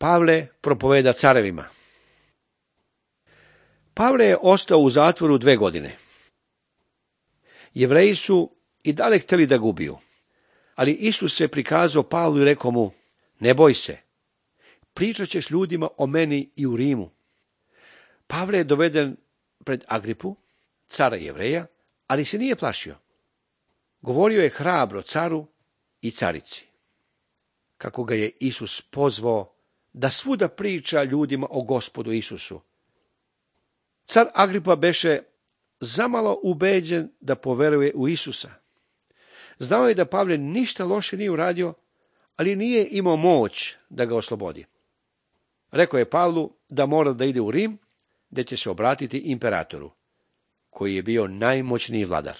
Pavle propoveda carevima. Pavle je ostao u zatvoru 2 godine. Jevreji su i dalje htjeli da ga ubiju, ali Isus se prikazao Pavlu i rekao mu: ne boj se, pričat ćeš ljudima o meni i u Rimu. Pavle je doveden pred Agripu, cara Jevreja, ali se nije plašio. Govorio je hrabro caru i carici, kako ga je Isus pozvao da svuda priča ljudima o Gospodu Isusu. Car Agripa beše zamalo ubeđen da poveruje u Isusa. Znao je da Pavle ništa loše nije uradio, ali nije imao moć da ga oslobodi. Rekao je Pavlu da mora da ide u Rim, gdje će se obratiti imperatoru, koji je bio najmoćniji vladar.